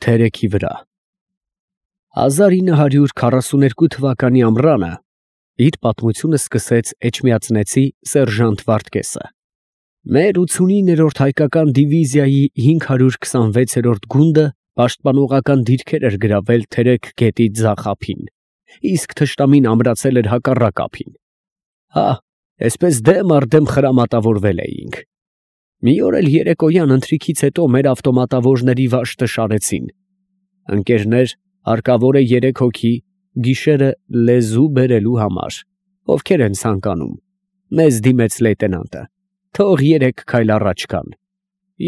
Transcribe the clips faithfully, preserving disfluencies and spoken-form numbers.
Թերեքի վրա հազար ինը հարյուր քառասուներկու թվականի ամռանը իր պատմությունը սկսեց էջմիածնեցի սերժանտ Վարդգեսը։ Մեր ութսունիններորդ հայկական դիվիզիայի հինգ հարյուր քսանվեցերորդ գունդը պաշտպանողական դիրքեր էր գրավել Թերեք գետի ձախ ափին, իսկ թշնամին ամրացել էր հակառակ ափին։ Հա, այսպես դեմ առ դեմ խրամատավորվել էինք։ Մի օր էլ երեկոյան ընթրիքից հետո մեր ավտոմատավորների վաշտը շարեցին։ Ընկերներ, հարկավոր է երեք հոգի, գիշերը լեզու բերելու համար, ովքեր են ցանկանում։ Մեզ դիմեց լեյտենանտը, թող երեք քայլ առաջ գան։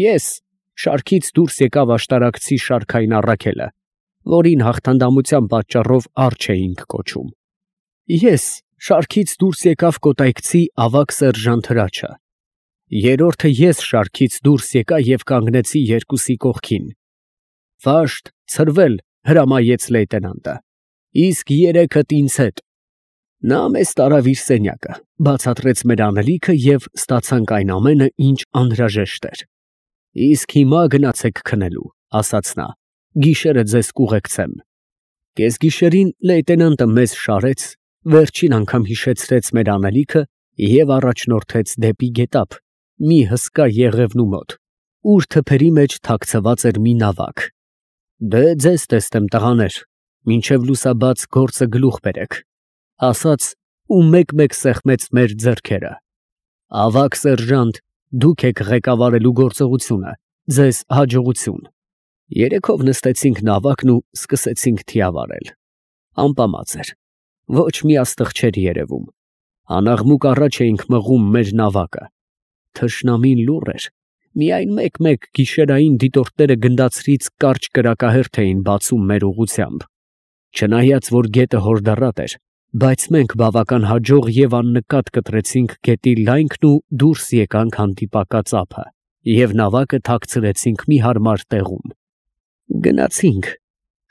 Ես շարքից դուրս եկավ աշտարակցի Շարքային Առաքելը, որին հաղթանդամության պատճառով Արջ էինք կոչում։ Ես շարքից դուրս եկավ կոտայքցի ավագ սերժանտ Հրաչը։ Երրորդը ես շարքից դուրս եկա և կանգնեցի երկուսի կողքին։ Վաշտ, ցրվել, հրամայեց լեյտենանտը, իսկ երեքդ ինձ հետ։ Նա մեզ տարավ իր սենյակը, բացատրեց մեր անելիքը և ստացանք այն ամենը, ինչ անհրաժեշտ էր։ Իսկ հիմա գնացեք քնելու, ասաց նա, գիշերը ձեզ կուղեկցեմ։ Կեսգիշերին լեյտենանտը մեզ շարեց, վերջին անգամ հիշեցրեց մեր անելիքը և առաջնորդեց դեպի գետափ, մի հսկա եղևնու մոտ, ուր թփերի մեջ թաքցված էր մի նավակ։ Դե ձեզ տեսնեմ տղաներ, մինչև լուսաբաց գործը գլուխ բերեք, ասաց ու մեկ֊մեկ սեղմեց մեր ձեռքերը։ Ավագ սերժանտ, դուք եք ղեկավարելու գործողությունը, ձեզ հաջողություն։ Երեքով նստեցինք նավակն ու սկսեցինք թիավարել։ Ամպամած էր, ոչ մի աստղ չէր երևում։ Անաղմուկ առաջ էինք մղում մեր նավակը։ Թշնամին լուռ էր, միայն մեկ֊մեկ գիշերային դիտորդները գնդացրից կարճ կրակահերթ էին բացում մեր ուղղությամբ։ Չնայած որ գետը հորդառատ էր, բայց մենք բավական հաջող և աննկատ կտրեցինք գետի լայնքն ու դուրս եկանք հանդիպակաց ափը և նավակը թաքցրեցինք մի հարմար տեղում։ Գնացինք,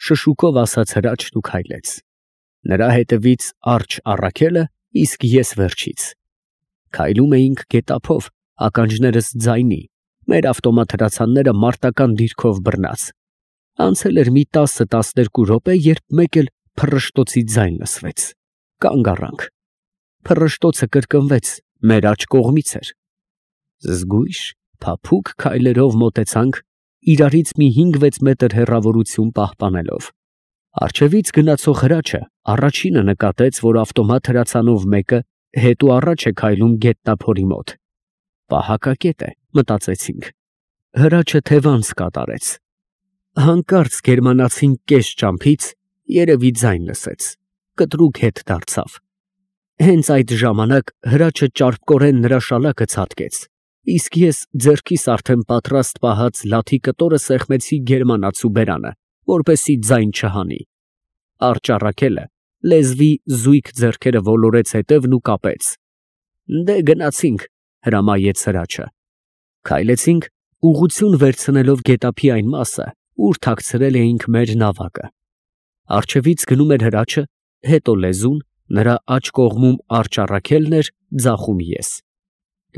շշուկով ասաց Հրաչն ու քայլեց։ Նրա հետևից Արջ Առաքելը, իսկ ես վերջից։ Քայլում էինք գետափով, ականջներս ձայնի, մեր ավտոմատ հրացանները մարտական դիրքով բռնած։ Անցել էր մի տասը֊տասներկու րոպե, երբ մեկ էլ փռշտոցի ձայն լսվեց։ Կանգ առանք։ Փռշտոցը կրկնվեց, մեր աջ կողմից էր։ Զգույշ, փափուկ քայլերով մոտեցանք, իրարից մի հինգ֊վեց մետր հեռավորություն պահպանելով։ Առջևից գնացող Հրաչը առաջինը նկատեց, որ ավտոմատ հրացանով մեկը հետ ու առաջ է քայլում գետնափորի մոտ։ Պահակակետ է, մտածեցինք։ Հրաչը թևանց կատարեց։ Հանկարծ գերմանացին կես ճամփից երևի ձայն լսեց, կտրուկ հետ դարձավ։ Հենց այդ ժամանակ Հրաչը ճարպկորեն նրա շալակը ցատկեց, իսկ ես ձեռքիս արդեն պատրաստ պահած լաթի կտորը սեղմեցի գերմանացու բերանը, որպեսզի ձայն չհանի։ Արջ Առաքելը լեզվի զույգ ձեռքերը ոլորեց հետևն ու կապեց։ Դե գնացինք, հրամայեց Հրաչը։ Քայլեցինք, ուղղություն վերցնելով գետափի այն մասը, ուր թաքցրել էինք մեր նավակը։ Առջևից գնում էր Հրաչը, հետո լեզուն, նրա աջ կողմում Արջ Առաքելն էր, ձախում ես։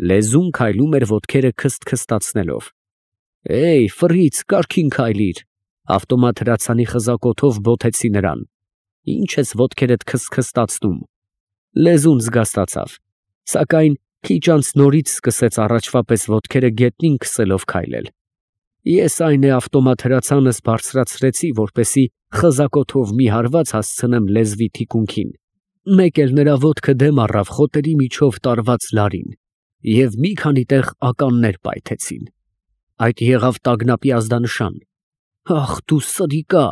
Լեզուն քայլում էր ոտքերը քսթքստացնելով։ Էй, ֆռիծ, կարգին քայլիր, ավտոմատ հրացանի խզակոթով բոթեցի նրան։ Ինչ ես ոտքերդ քսթքստացնում։ Լեզուն զգաստացավ, սակայն քիչ անց նորից սկսեց առաջվա պես ոտքերը գետնին քսելով քայլել։ Ես այն է ավտոմատ հրացանս բարձրացրեցի, որպեսզի խզակոթով մի հարված հասցնեմ լեզվի թիկունքին։ Մեկ էլ նրա ոտքը դեմ առավ խոտերի միջով տարված լարին, և մի քանի տեղ ականներ պայթեցին։ Այդ եղավ տագնապի ազդանշան։ Ախ դու սրիկա,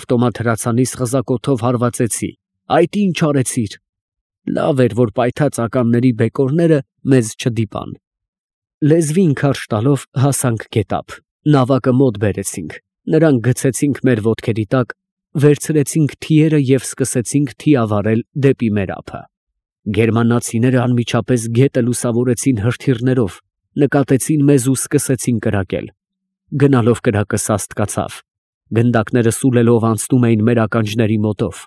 ավտոմատ հրացանիս խզակոթով հարվածեցի, այդ ինչ արեցիր։ Լավ էր, որ պայթած ականների բեկորները մեզ չդիպան։ Լեզվին քարշ տալով հասանք գետափ, նավակը մոտ բերեցինք, նրան գցեցինք մեր ոտքերի տակ, վերցրեցինք թիերը և սկսեցինք թիավարել դեպի մեր ափը։ Գերմանացիները անմիջապես գետը լուսավորեցին հրթիռներով, նկատեցին մեզ ու սկսեցին կրակել։ Գնալով կրակը սաստկացավ, գնդակները սուլելով անցնում էին մեր ականջների մոտով։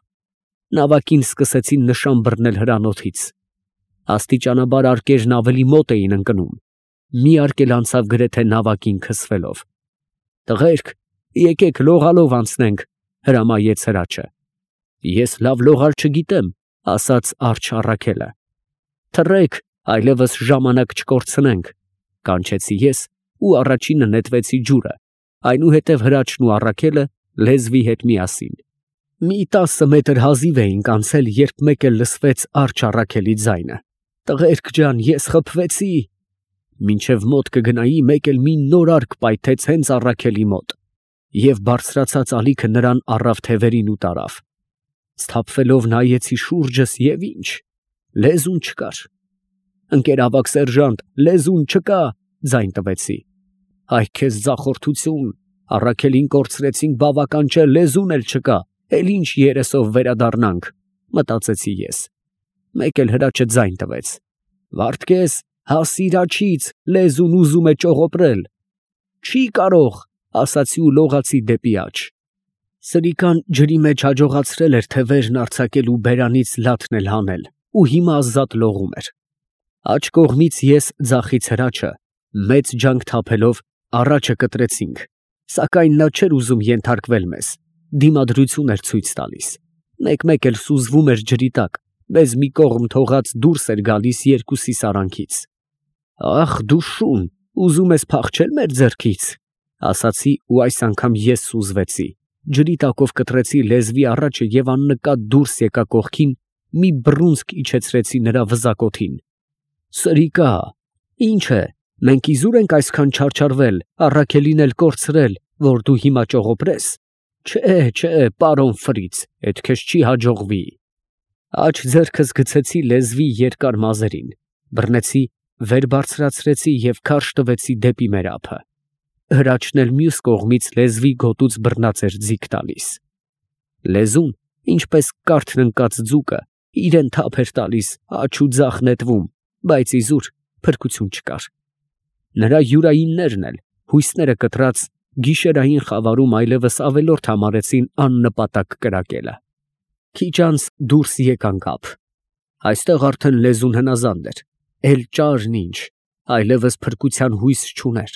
Նավակին սկսեցին նշան բռնել հրանոթից։ Աստիճանաբար արկերն ավելի մոտ էին ընկնում։ Մի արգ էլ անցավ գրեթե նավակին քսվելով։ Տղերք, Եկեք լողալով անցնենք, հրամայեց հրաչը։ Ես լավ լողալ չգիտեմ, ասաց Արջը Առաքելը։ Թռեք, այլևս ժամանակ չկորցնենք, կանչեցի ես ու առաջինը նետվեցի ջուրը, այնուհետև հրաչն ու Առաքելը լեզվի հետ միասին։ Մի տասը մետր հազիվ էինք անցել, երբ մեկ էլ լսվեց Արջը Առաքելի ձայնը. «Տղերք ջան, ես խփվեցի»։ Մինչև մոտ կգնայի, մեկ էլ մի նոր արկ պայթեց հենց Առաքելի մոտ, և բարձրացած ալիքը նրան առավ թևերին ու տարավ։ Սթափվելով նայեցի շուրջս և ինչ, լեզուն չկար։ «Ընկերավագ սերժանտ, լեզուն չկա», ձայն տվեցի։ «Այ քեզ ձախորդություն, Առաքելին կորցրեցինք բավական չէ, լեզուն էլ չկա, էլ ինչ երեսով վերադառնանք», մտածեցի ես։ Մեկ էլ հրաչը ձայն տվեց. «Վարդգես, հասիր աջից, լեզուն ուզում է ճողոպրել»։ «Չի կարող», ասացի ու լողացի դեպի աջ։ Սրիկան ջրի մեջ հաջողացրել էր թևերն արձակել ու բերանից լաթն էլ հանել, ու հիմա ազատ լողում էր։ Աջ կողմից ես ձախից հրաչը, մեծ ջանք թափելով, առաջը կտրեցինք, սակայն նա չէր ուզում ենթարկվել մեզ, դիմադրություն էր ցույց տալիս, մեկ֊մեկ էլ սուզվում էր ջրի տակ, մեզ մի կողմ թողած դուրս էր գալիս երկուսիս արանքից։ «Ախ դու շուն, ուզում ես փախչել մեր ձեռքից», ասացի ու այս անգամ ես սուզվեցի, ջրի տակով կտրեցի լեզվի առաջը և աննկատ դուրս եկա կողքին, մի բռունցք իջեցրեցի նրա վզակոթին։ «Սրիկա, ի՞նչ է, մենք իզուր ենք այսքան չարչարվել, Առաքելին էլ կորցրել, որ դու հիմա ճողոպրես։ Չէ, չէ, պարոն Ֆրից, էդ քեզ չի հաջողվի»։ Աջ ձեռքս գցեցի լեզվի երկար մազերին, բռնեցի, վեր բարձրացրեցի և քարշ տվեցի դեպի մեր ափը։ Հրաչն էլ մյուս կողմից լեզվի գոտուց բռնած էր ձիգ տալիս։ Լեզուն, ինչպես կարթն ընկած ձուկը, իրեն թափ էր տալիս, աջ ու ձախ նետվում, բայց իզուր փրկություն չկար։ Նրա յուրայիններն էլ, հույսները կտրած, գիշերային խավարում այլևս ավելորդ համարեցին աննպատակ կրակելը։ Քիչ անց դուրս եկանք ափ։ Այստեղ արդեն լեզուն հնազանդ էր, էլ ճարն ինչ, այլևս փրկության հույս չուներ։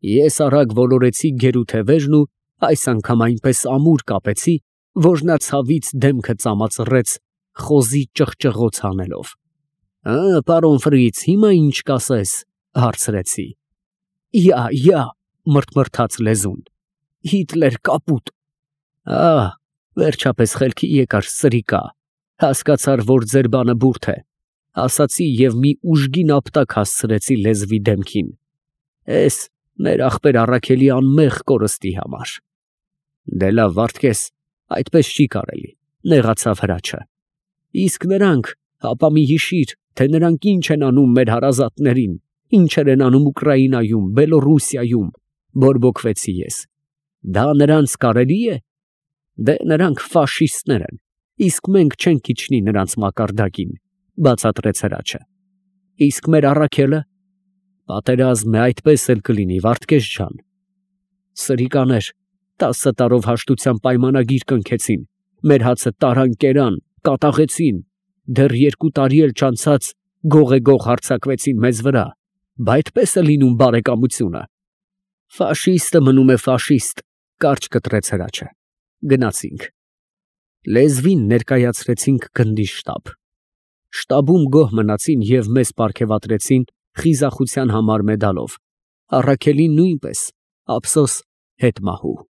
Ես արագ ոլորեցի գերու թևերն ու այս անգամ այնպես ամուր կապեցի, որ նա ցավից դեմքը ծամածռեց, խոզի ճղճղոց հանելով։ «Ա, պարոն Ֆրից, հիմա ինչ կասես», հարցրեցի։ «Յա, յա», մռթմռթաց լեզուն։ «Հիտլեր կապուտ»։ «Ա, վերջապես խելքի եկար, սրիկա, հասկացար, որ ձեր բանը բուրդ է», ասացի և մի ուժգին ապտակ հասցրեցի լեզվի դեմքին։ «Էս մեր ախպեր Առաքելի անմեղ կորստի համար»։ «Դե լավ, Վարդգես, այդպես չի կարելի», նեղացավ հրաչը։ «Իսկ նրանք, հապա մի հիշիր, թե նրանք ինչ են անում մեր հարազատներին, ինչեր են անում Ուկրաինայում, Բելոռուսիայում», բորբոքվեցի ես։ «Դա նրանց կարելի է։ Դե նրանք ֆաշիստներ են, իսկ մենք չենք իջնի նրանց մակարդակին», բացատրեց հրաչը։ «Իսկ մեր Առաքելը»։ «Պատերազմ է, այդպես էլ կլինի, Վարդգես ջան։ Սրիկաներ, տասը տարով հաշտության պայմանագիր կնքեցին, մեր հացը տարան կերան, կատաղեցին, դեռ երկու տարի էլ չանցած գող-գող հարձակվեցին մեզ վրա, բա այդպես է լինում բարեկամությունը»։ «Ֆաշիստը մնում է ֆաշիստ», կարճ կտրեց հրաչը։ Գնացինք։ Լեզվին ներկայացրեցինք գնդի շտաբ։ Շտաբում գոհ մնացին և մեզ պարգևատրեցին խիզախության համար մեդալով, Առաքելին նույնպես, ափսոս, հետմահու։